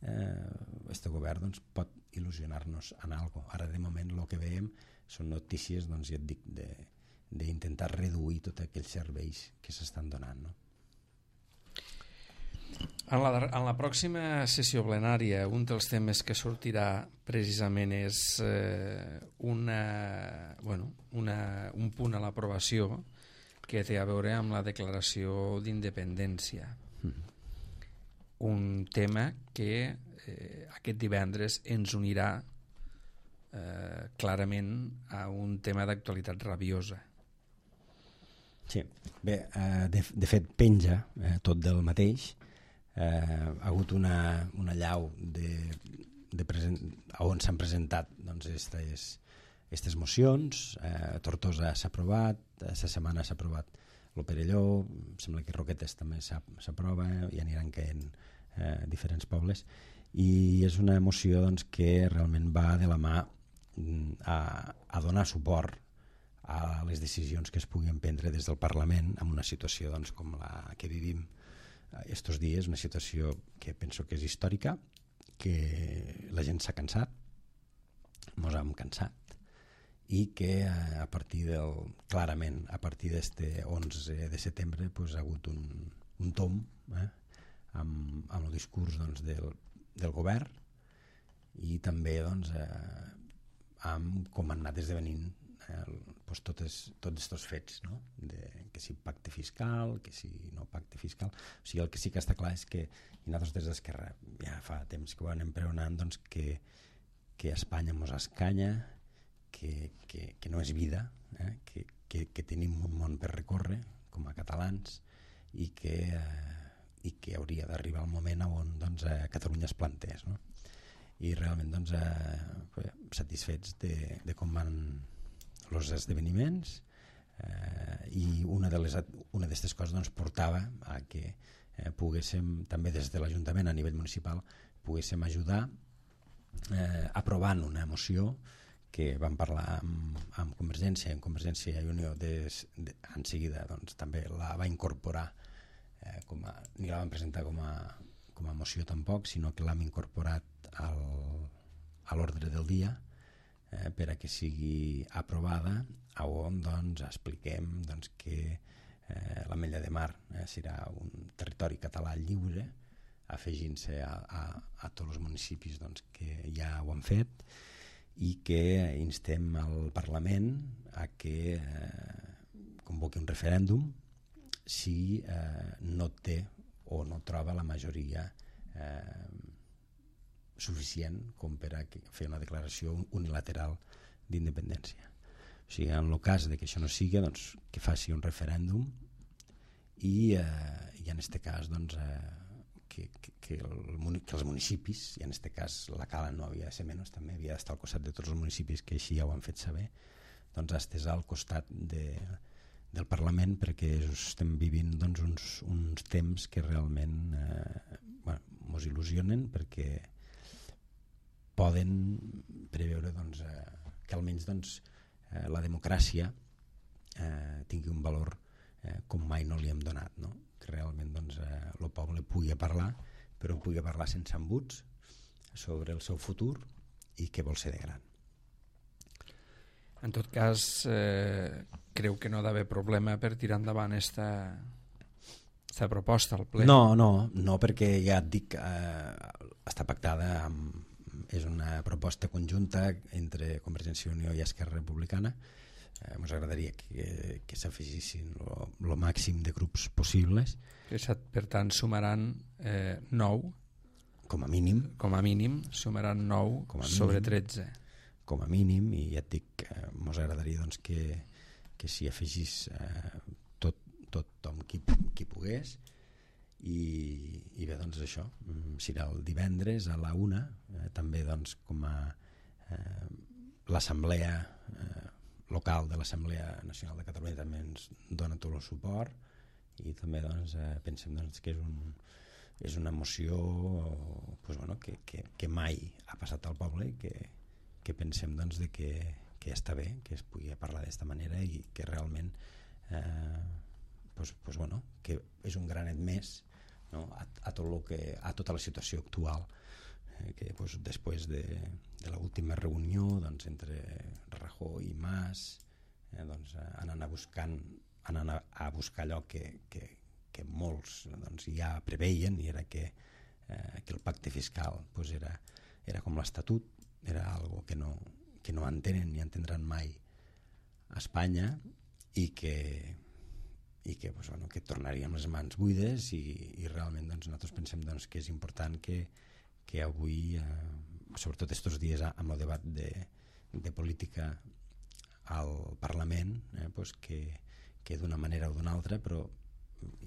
eh, este govern doncs, pot il·lusionar-nos en alguna cosa. Ara de moment el que veiem són notícies, doncs, ja et dic, d'intentar reduir tots aquells serveis que s'estan donant, no? En la, en la pròxima sessió plenària, un dels temes que sortirà precisament és eh, una, bueno, una, un punt a l'aprovació que té a veure amb la declaració d'independència. Mm. Un tema que eh, aquest divendres ens unirà eh, clarament a un tema d'actualitat rabiosa. Sí, bé, eh, de, de fet penja eh, tot del mateix. Eh, ha hagut una, una llau de, de present, on s'han presentat doncs, estes, estes mocions. eh, Tortosa s'ha aprovat, la setmana s'ha aprovat el Perelló, sembla que Roquetes també s'aprova i aniran caient eh, diferents pobles, i és una moció doncs, que realment va de la mà a, a donar suport a les decisions que es puguin prendre des del Parlament en una situació doncs, com la que vivim estos dies, una situació que penso que és històrica, que la gent s'ha cansat, mos hem cansat, i que a partir del, clarament, a partir d'este onze de setembre pues, ha hagut un, un tom eh, amb, amb el discurs doncs, del, del govern i també doncs, eh, amb com han anat esdevenint eh, pues, totes, tots aquests fets, no? De, que si pacte fiscal, que si no pacte fiscal. O sigui, el que sí que està clar és que, i nosaltres des d'Esquerra ja fa temps que ho anem pregonant, doncs, que, que Espanya mos escanya, que, que, que no és vida, eh? que, que, que tenim un món per recórrer com a catalans i que, eh, i que hauria d'arribar el moment on doncs, eh, Catalunya es plantés, no? I realment doncs, eh, satisfets de, de com van els esdeveniments eh, i una de les una d'aquestes coses doncs, portava a que eh, poguéssim també des de l'Ajuntament a nivell municipal poguéssim ajudar eh, aprovant una moció que vam parlar amb, amb Convergència, en Convergència i Unió de, de, en seguida doncs, també la va incorporar, eh, com a, ni la vam presentar com a, com a moció tampoc, sinó que l'hem incorporat al, a l'ordre del dia eh, per a que sigui aprovada, on doncs, expliquem doncs, que eh, l'Ametlla de Mar eh, serà un territori català lliure, afegint-se a, a, a tots els municipis doncs, que ja ho han fet, i que instem al Parlament a que eh, convoqui un referèndum si eh, no té o no troba la majoria eh, suficient com per a fer una declaració unilateral d'independència. O sigui, en el cas de que això no sigui, doncs, que faci un referèndum i, eh, i en aquest cas doncs, eh, que, que, que, el, que els municipis, i en aquest cas la Cala no havia de ser menys, també havia d'estar al costat de tots els municipis que així ja ho han fet saber, doncs estès al costat de, del Parlament perquè estem vivint doncs, uns, uns temps que realment eh, bueno, mos il·lusionen perquè poden preveure doncs, eh, que almenys doncs, eh, la democràcia eh, tingui un valor eh, com mai no li hem donat, no? Que realment doncs, eh, el poble pugui parlar, però pugui parlar sense embuts sobre el seu futur i què vol ser de gran. En tot cas, eh, creu que no ha d'haver problema per tirar endavant esta, esta proposta al ple? No, no, no perquè ja et dic, eh, està pactada, amb, és una proposta conjunta entre Convergència i Unió i Esquerra Republicana. Eh, ens agradaria que, que s'afegissin el màxim de grups possibles. Que, per tant, sumaran eh, nou. Com a mínim. Com a mínim, sumaran nou sobre tretze. Com a mínim, i ja et dic, eh, ens agradaria doncs, que, que s'hi afegís eh, tot, tothom qui, qui pogués. I, i bé, doncs això, serà el divendres a la una, eh, també doncs, com a eh, l'assemblea eh, local de l'Assemblea Nacional de Catalunya també ens dona tot el suport i també doncs, eh, pensem doncs, que és, un, és una moció pues, bueno, que, que, que mai ha passat al poble i que, que pensem doncs, de que, que està bé que es pugui parlar d'aquesta manera i que realment eh, pues, pues, bueno, que és un granet més, no? a, a, tot lo que, a tota la situació actual que pues, després de, de l'última reunió doncs, entre Rajoy i Mas eh, doncs, anant a buscant anant a, a buscar allò que, que, que molts doncs, ja preveien i era que, eh, que el pacte fiscal pues, era, era com l'Estatut, era algo que no, que no entenen ni entendran mai a Espanya i que i que, pues, bueno, que tornaríem les mans buides i, i realment doncs, nosaltres pensem doncs, que és important que que avui, eh, sobretot aquests dies amb el debat de, de política al Parlament, eh, pues que, que d'una manera o d'una altra, però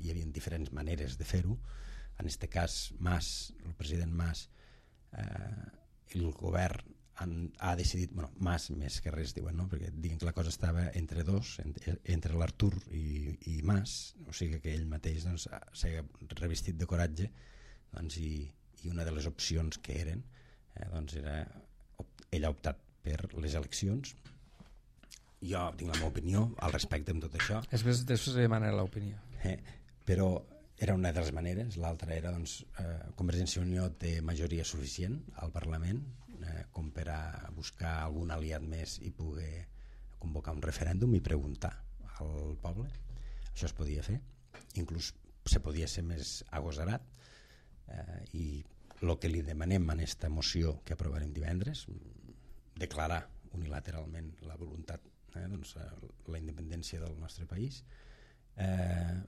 hi havia diferents maneres de fer-ho. En aquest cas, Mas, el president Mas, eh, el govern han, ha decidit, bueno, Mas més que res diuen, no? Perquè diuen que la cosa estava entre dos, entre, entre l'Artur i, i Mas, o sigui que ell mateix doncs, s'ha revestit de coratge doncs, i i una de les opcions que eren eh, doncs era, ell ha optat per les eleccions. Jo tinc la meva opinió al respecte amb tot això. Després, després demanaré l'opinió. Eh, però era una de les maneres. L'altra era, doncs, eh, Convergència i Unió té majoria suficient al Parlament eh, com per a buscar algun aliat més i poder convocar un referèndum i preguntar al poble. Això es podia fer. Inclús se podia ser més agosarat eh, i el que li demanem en aquesta moció que aprovarem divendres, declarar unilateralment la voluntat, eh, doncs, la independència del nostre país. Eh,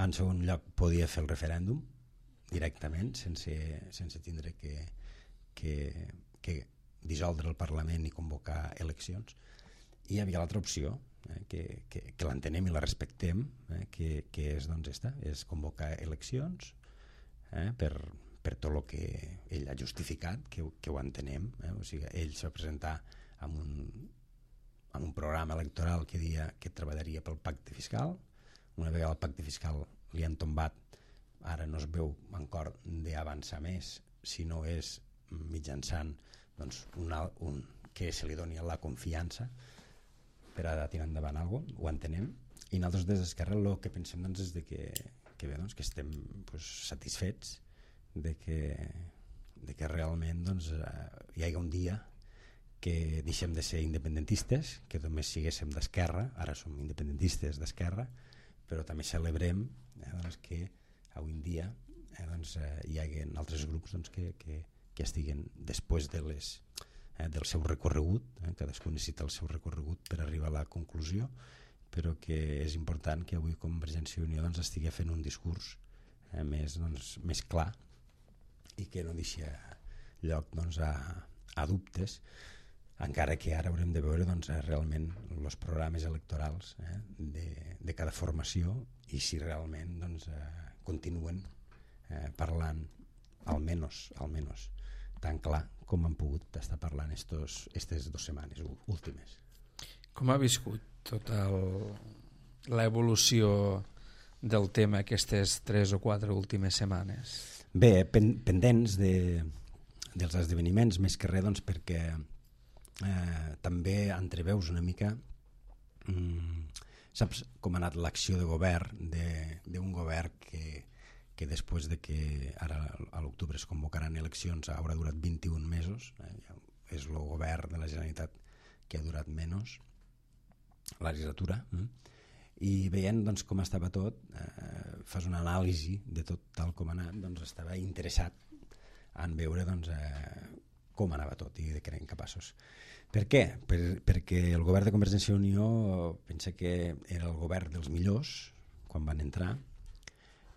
en segon lloc, podia fer el referèndum directament, sense, sense tindre que, que, que dissoldre el Parlament i convocar eleccions. I hi havia l'altra opció, eh, que, que, que l'entenem i la respectem, eh, que, que és, doncs, esta, és convocar eleccions eh, per, per tot el que ell ha justificat, que, que ho entenem. Eh? O sigui, ell s'ha presentat amb un, amb un programa electoral que dia que treballaria pel pacte fiscal. Una vegada el pacte fiscal li han tombat, ara no es veu encara d'avançar més, si no és mitjançant, doncs, una, un, que se li doni la confiança per a tirar endavant alguna cosa, ho entenem. I nosaltres des d'Esquerra el que pensem, doncs, és de que, que, bé, doncs, que estem, doncs, satisfets de que, de que realment, doncs, hi hagi un dia que deixem de ser independentistes, que només siguéssim d'esquerra, ara som independentistes d'esquerra, però també celebrem eh, doncs, que avui en dia eh, doncs, eh, hi hagi altres grups, doncs, que, que, que estiguen després de les, eh, del seu recorregut, eh, cadascú necessita el seu recorregut per arribar a la conclusió, però que és important que avui Convergència i Unió, doncs, estigui fent un discurs eh, més, doncs, més clar i que no deixi lloc, doncs, a, a dubtes, encara que ara haurem de veure, doncs, realment els programes electorals eh, de, de cada formació i si realment, doncs, eh, continuen eh, parlant almenys, almenys tan clar com han pogut estar parlant estos, estes dues setmanes últimes. Com ha viscut tota l'evolució del tema aquestes tres o quatre últimes setmanes? Bé, pen, pendents de, dels esdeveniments, més que res, doncs, perquè eh, també entreveus una mica mm, saps com ha anat l'acció de govern d'un govern que, que després de que ara a l'octubre es convocaran eleccions haurà durat vint-i-un mesos, eh, és el govern de la Generalitat que ha durat menys la legislatura, eh? I veient, doncs, com estava tot, eh, fas una anàlisi de tot tal com ha anat, doncs estava interessat en veure, doncs, eh, com anava tot i de què eren capaços. Per què? Per, perquè el govern de Convergència i Unió pensa que era el govern dels millors quan van entrar,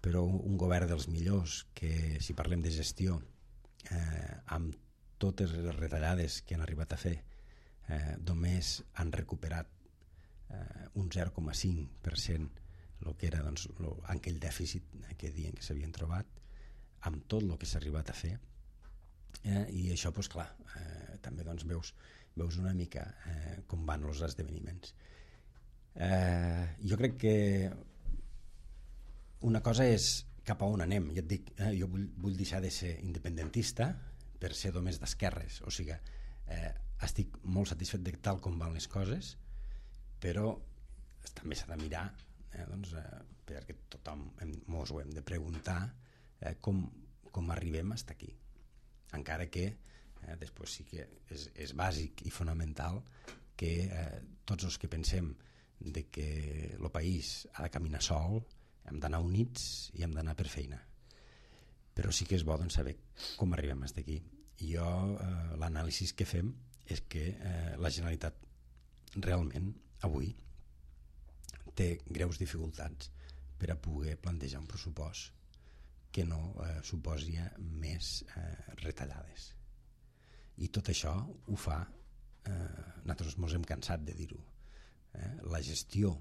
però un govern dels millors que, si parlem de gestió, eh, amb totes les retallades que han arribat a fer, eh, només han recuperat eh, un zero coma cinc per cent el que era, doncs, lo, aquell dèficit eh, que diuen que s'havien trobat, amb tot el que s'ha arribat a fer. Eh, I això, doncs, clar, eh, també, doncs, veus, veus una mica eh, com van els esdeveniments. Eh, jo crec que una cosa és cap a on anem. Ja et dic, eh, jo vull, vull deixar de ser independentista per ser només d'esquerres. O sigui, eh, estic molt satisfet de tal com van les coses, però també s'ha de mirar, eh, doncs, eh, perquè tothom ens ho hem de preguntar, eh, com, com arribem fins aquí. Encara que eh, després sí que és, és bàsic i fonamental que eh, tots els que pensem de que el país ha de caminar sol hem d'anar units i hem d'anar per feina, però sí que és bo, doncs, saber com arribem fins aquí. I jo eh, l'anàlisi que fem és que eh, la Generalitat realment avui té greus dificultats per a poder plantejar un pressupost que no eh, suposi més eh, retallades. I tot això ho fa, eh, nosaltres ens hem cansat de dir-ho, eh, la gestió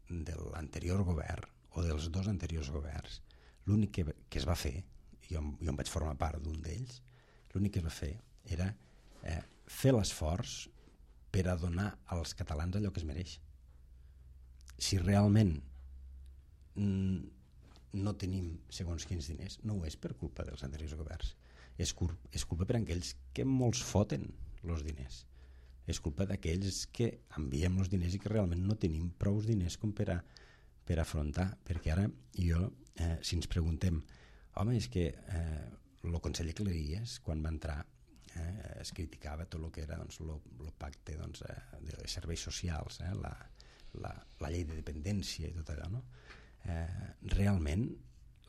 de l'anterior govern o dels dos anteriors governs, l'únic que, que es va fer, jo, jo em vaig formar part d'un d'ells, l'únic que es va fer era eh, fer l'esforç per a donar als catalans allò que es mereix. Si realment mm, no tenim segons quins diners, no ho és per culpa dels anteriors governs, és, cul és culpa per aquells que molts foten els diners. és culpa d'aquells que enviem els diners i que realment no tenim prou diners com per a, per afrontar, perquè ara jo, eh, si ens preguntem, home, és que eh, el conseller Cleries, quan va entrar, eh, es criticava tot el que era doncs, el pacte doncs, eh, de serveis socials, eh, la, la, la llei de dependència i tot allò, no? Eh, realment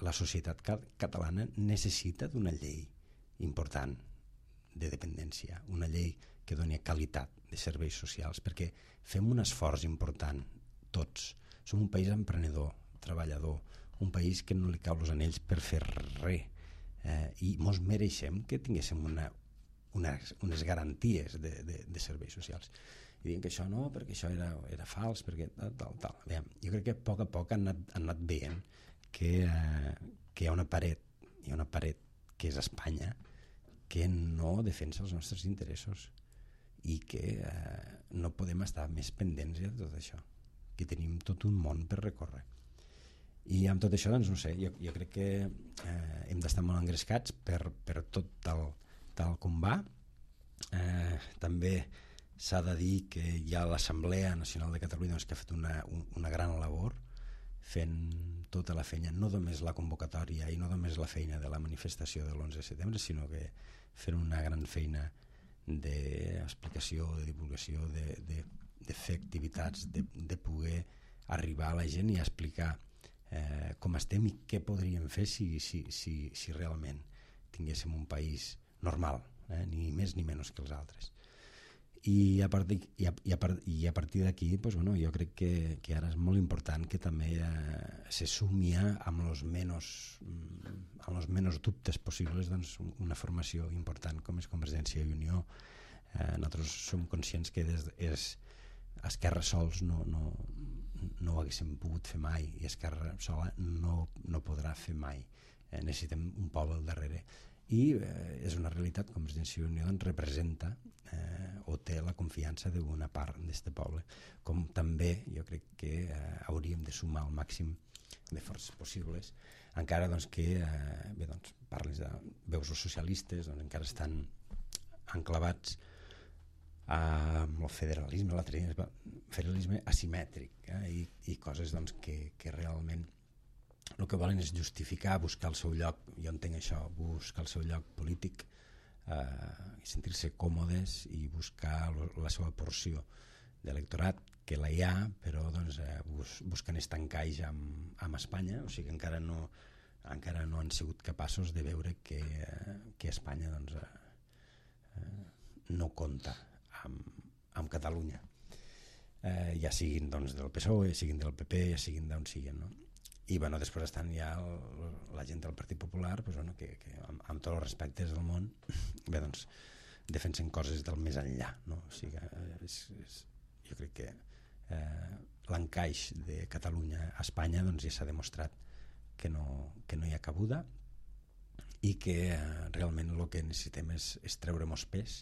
la societat catalana necessita d'una llei important de dependència, una llei que doni qualitat de serveis socials, perquè fem un esforç important tots. Som un país emprenedor, treballador, un país que no li cau els anells per fer res, eh, i mos mereixem que tinguéssim una, una, unes garanties de, de, de serveis socials. I diuen que això no, perquè això era, era fals, perquè tal, tal, tal. Bé, jo crec que a poc a poc han anat, han anat veient que, eh, que hi ha una paret, hi ha una paret que és Espanya, que no defensa els nostres interessos i que eh, no podem estar més pendents de tot això, que tenim tot un món per recórrer. I amb tot això, doncs no sé, jo, jo crec que eh, hem d'estar molt engrescats per, per tot tal, tal com va. Eh, també s'ha de dir que hi ha l'Assemblea Nacional de Catalunya doncs, que ha fet una, una gran labor fent tota la feina, no només la convocatòria i no només la feina de la manifestació de l'onze de setembre, sinó que fent una gran feina d'explicació, de divulgació, de, de, de fer activitats, de, de poder arribar a la gent i explicar eh, com estem i què podríem fer si, si, si, si realment tinguéssim un país normal, eh, ni més ni menys que els altres. I a partir, i a, i a, i a partir d'aquí pues, bueno, jo crec que, que ara és molt important que també eh, se sumi amb els menys, amb els menys dubtes possibles doncs, una formació important com és Convergència i Unió. Eh, nosaltres som conscients que des, és, Esquerra sols no, no, no ho haguéssim pogut fer mai i Esquerra sola no, no podrà fer mai. Eh, necessitem un poble al darrere. I eh, és una realitat, Convergència i Unió doncs, representa eh, o té la confiança d'una part d'aquest poble, com també jo crec que eh, hauríem de sumar el màxim de forces possibles, encara doncs, que eh, bé, doncs, parles de veus els socialistes, doncs, encara estan enclavats amb el federalisme, el federalisme asimètric, eh, i, i coses doncs, que, que realment el que volen és justificar, buscar el seu lloc, jo entenc això, buscar el seu lloc polític, eh, sentir-se còmodes i buscar la seva porció d'electorat, que la hi ha, però doncs, eh, bus, busquen estancar-se amb, amb Espanya, o sigui que encara no, encara no han sigut capaços de veure que, eh, que Espanya doncs, eh, no compta amb, amb Catalunya, eh, ja siguin doncs, del P S O E, ja siguin del P P, ja siguin d'on siguin, no? I bueno, després estan ja el, la gent del Partit Popular pues, bueno, que, que amb, amb tots els respectes del món bé, doncs, defensen coses del més enllà, no? O sigui, és, és, jo crec que eh, l'encaix de Catalunya a Espanya doncs, ja s'ha demostrat que no, que no hi ha cabuda i que eh, realment el que necessitem és, és treure-nos pes,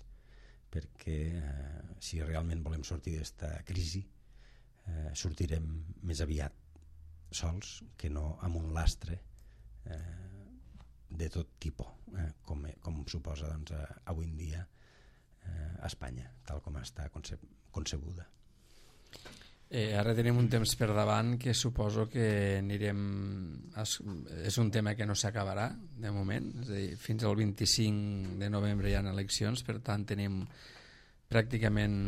perquè eh, si realment volem sortir d'aquesta crisi eh, sortirem més aviat sols que no amb un lastre eh, de tot tipus, eh, com, com suposa doncs, avui en dia eh, a Espanya, tal com està conce concebuda. Eh, ara tenim un temps per davant que suposo que anirem a, és un tema que no s'acabarà de moment, és a dir, fins al vint-i-cinc de novembre hi ha eleccions, per tant tenim pràcticament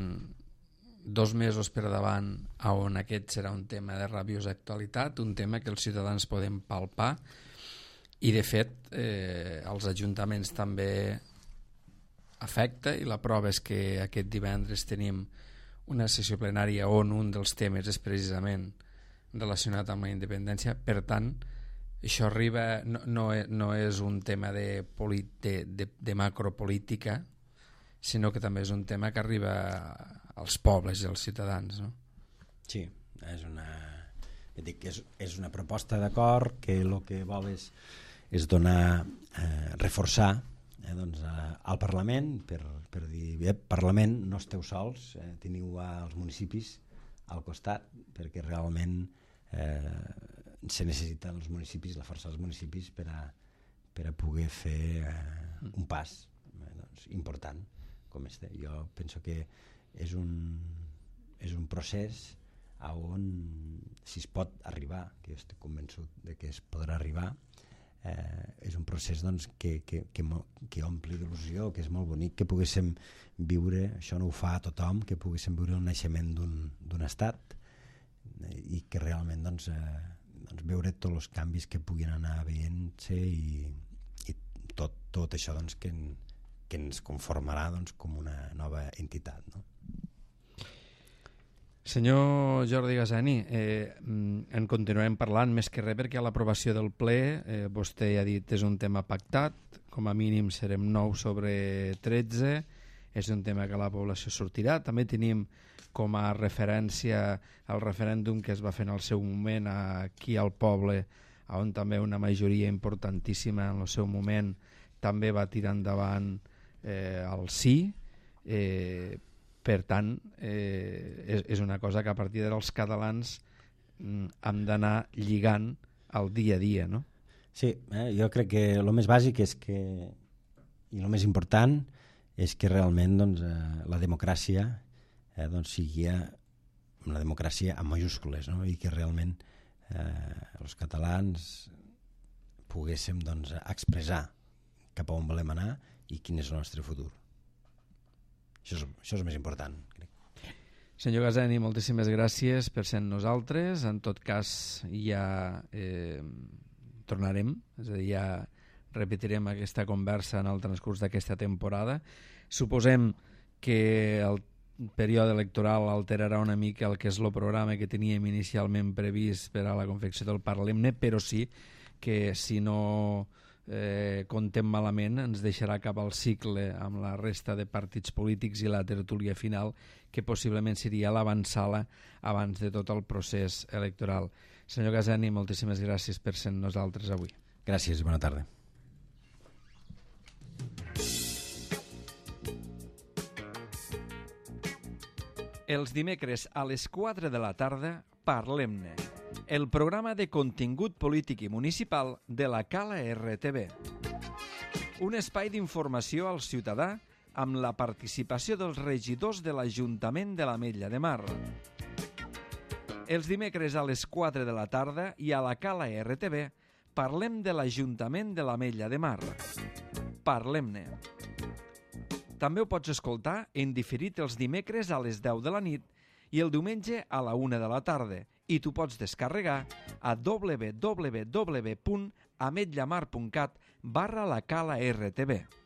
dos mesos per davant on aquest serà un tema de rabiosa actualitat, un tema que els ciutadans poden palpar i de fet eh, els ajuntaments també afecta, i la prova és que aquest divendres tenim una sessió plenària on un dels temes és precisament relacionat amb la independència. Per tant, això arriba, no, no, no és un tema de, de, de, de macropolítica, sinó que també és un tema que arriba als pobles i als ciutadans, no? Sí, és una, dic que és, és una proposta d'acord que el que vol és, és donar, eh, reforçar eh, doncs, a, al Parlament per, per dir, bé, Parlament, no esteu sols, eh, teniu els municipis al costat, perquè realment eh, se necessiten els municipis, la força dels municipis per a, per a poder fer eh, un pas eh, doncs, important com este. Jo penso que és un, és un procés on si es pot arribar, que jo estic convençut de que es podrà arribar, eh, és un procés doncs, que, que, que, que ompli d'il·lusió, que és molt bonic que poguéssim viure, això no ho fa a tothom, que poguéssim viure el naixement d'un estat i que realment doncs, eh, doncs veure tots els canvis que puguin anar veient-se i, i tot, tot això doncs, que, que ens conformarà doncs, com una nova entitat, no? Senyor Jordi Gazani, eh, en continuarem parlant més que res perquè a l'aprovació del ple, eh, vostè ja ha dit, és un tema pactat, com a mínim serem nou sobre tretze, és un tema que la població sortirà. També tenim com a referència el referèndum que es va fer en el seu moment aquí al poble, on també una majoria importantíssima en el seu moment també va tirar endavant eh, el sí. Eh, per tant, eh, és, és una cosa que a partir d'ara els catalans mm, hem d'anar lligant al dia a dia, no? Sí, eh, jo crec que el més bàsic és que, i el més important és que realment doncs, eh, la democràcia eh, doncs, sigui una democràcia amb majúscules, no? I que realment eh, els catalans poguéssim doncs, expressar cap a on volem anar i quin és el nostre futur. Això és, això és el més important, crec. Senyor Gazani, moltíssimes gràcies per ser amb nosaltres. En tot cas, ja eh, tornarem, és a dir, ja repetirem aquesta conversa en el transcurs d'aquesta temporada. Suposem que el període electoral alterarà una mica el que és el programa que teníem inicialment previst per a la confecció del Parlemne, però sí que si no eh, contem malament ens deixarà cap al cicle amb la resta de partits polítics i la tertúlia final, que possiblement seria l'avançala abans de tot el procés electoral. Senyor Gazani, moltíssimes gràcies per ser amb nosaltres avui. Gràcies i bona tarda. Els dimecres a les quatre de la tarda, Parlem-ne, el programa de contingut polític i municipal de la Cala R T V. Un espai d'informació al ciutadà amb la participació dels regidors de l'Ajuntament de l'Ametlla de Mar. Els dimecres a les quatre de la tarda i a la Cala R T V parlem de l'Ajuntament de l'Ametlla de Mar. Parlem-ne. També ho pots escoltar en diferit els dimecres a les deu de la nit i el diumenge a la una de la tarda, i tu pots descarregar a w w w punt ametllamar punt cat barra la Cala R T V.